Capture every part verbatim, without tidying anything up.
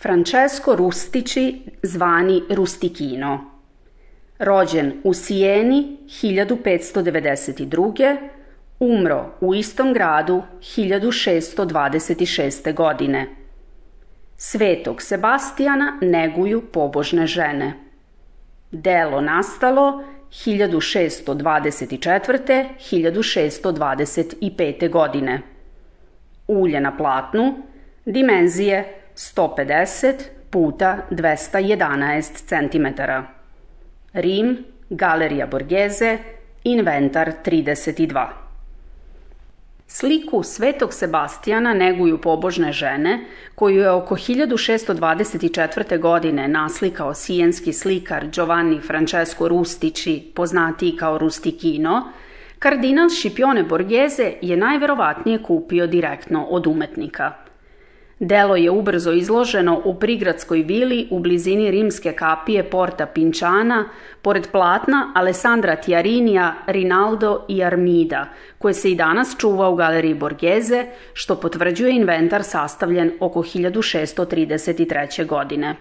Francesco Rustici, zvani Rusticino. Rođen u Sijeni hiljadu petsto devedeset druge. Umro u istom gradu hiljadu šeststo dvadeset šeste. godine. Svetog Sebastijana neguju pobožne žene. Delo nastalo hiljadu šeststo dvadeset četvrte do hiljadu šeststo dvadeset pete. godine. Ulje na platnu, dimenzije sto pedeset puta dvesta jedanaest centimetara. Rim, Galerija Borghese, inventar trideset dva. Sliku Svetog Sebastijana neguju pobožne žene, koju je oko hiljadu šeststo dvadeset četvrte. godine naslikao sijenski slikar Giovanni Francesco Rustici, poznatiji kao Rusticino. Kardinal Scipione Borghese je najverovatnije kupio direktno od umetnika. Delo je ubrzo izloženo u prigradskoj vili u blizini rimske kapije Porta Pinciana, pored platna Alessandra Tiarinija, Rinaldo i Armida, koje se i danas čuva u Galeriji Borghese, što potvrđuje inventar sastavljen oko hiljadu šeststo trideset treće. godine.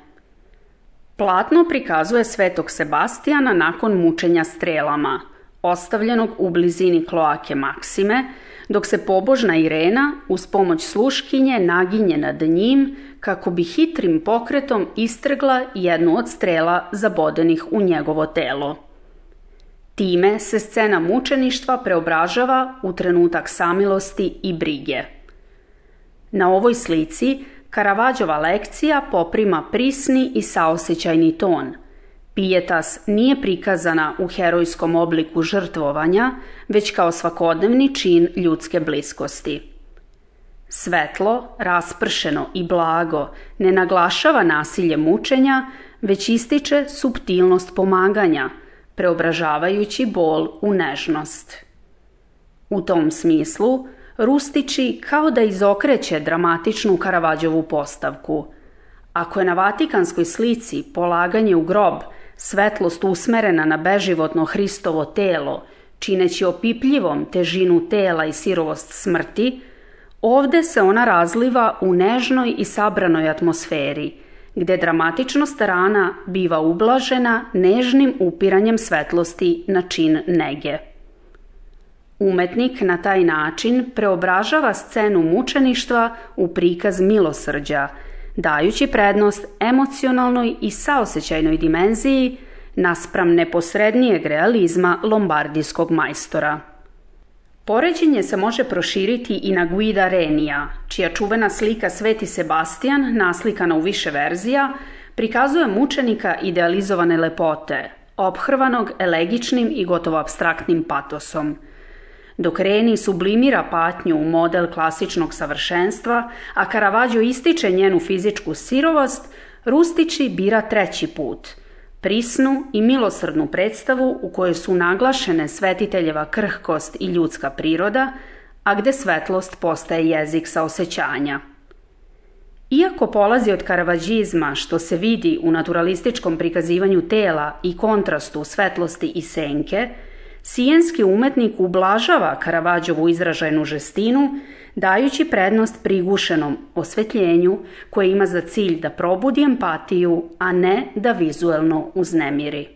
Platno prikazuje Svetog Sebastijana nakon mučenja strelama, ostavljenog u blizini kloake Maksime, dok se pobožna Irena uz pomoć sluškinje naginje nad njim kako bi hitrim pokretom istrgla jednu od strela zabodenih u njegovo telo. Time se scena mučeništva preobražava u trenutak samilosti i brige. Na ovoj slici Caravaggioova lekcija poprima prisni i saosećajni ton. Pijetas nije prikazana u herojskom obliku žrtvovanja, već kao svakodnevni čin ljudske bliskosti. Svetlo, raspršeno i blago ne naglašava nasilje mučenja, već ističe suptilnost pomaganja, preobražavajući bol u nežnost. U tom smislu, Rustici kao da izokreće dramatičnu Caravaggiovu postavku. Ako je na Vatikanskoj slici polaganje u grob svetlost usmerena na beživotno Hristovo telo, čineći opipljivom težinu tela i sirovost smrti, ovde se ona razliva u nežnoj i sabranoj atmosferi, gde dramatičnost rana biva ublažena nežnim upiranjem svetlosti na čin nege. Umetnik na taj način preobražava scenu mučeništva u prikaz milosrđa, dajući prednost emocionalnoj i saosećajnoj dimenziji naspram neposrednijeg realizma lombardijskog majstora. Poređenje se može proširiti i na Guida Renija, čija čuvena slika Sveti Sebastijan, naslikana u više verzija, prikazuje mučenika idealizovane lepote, ophrvanog elegičnim i gotovo apstraktnim patosom. Dok Reni sublimira patnju u model klasičnog savršenstva, a Caravaggio ističe njenu fizičku sirovost, Rustici bira treći put, prisnu i milosrdnu predstavu u kojoj su naglašene svetiteljeva krhkost i ljudska priroda, a gde svetlost postaje jezik saosećanja. Iako polazi od karavađizma, što se vidi u naturalističkom prikazivanju tela i kontrastu svetlosti i senke, sijenski umetnik ublažava Caravaggiovu izražajnu žestinu, dajući prednost prigušenom osvetljenju koje ima za cilj da probudi empatiju, a ne da vizuelno uznemiri.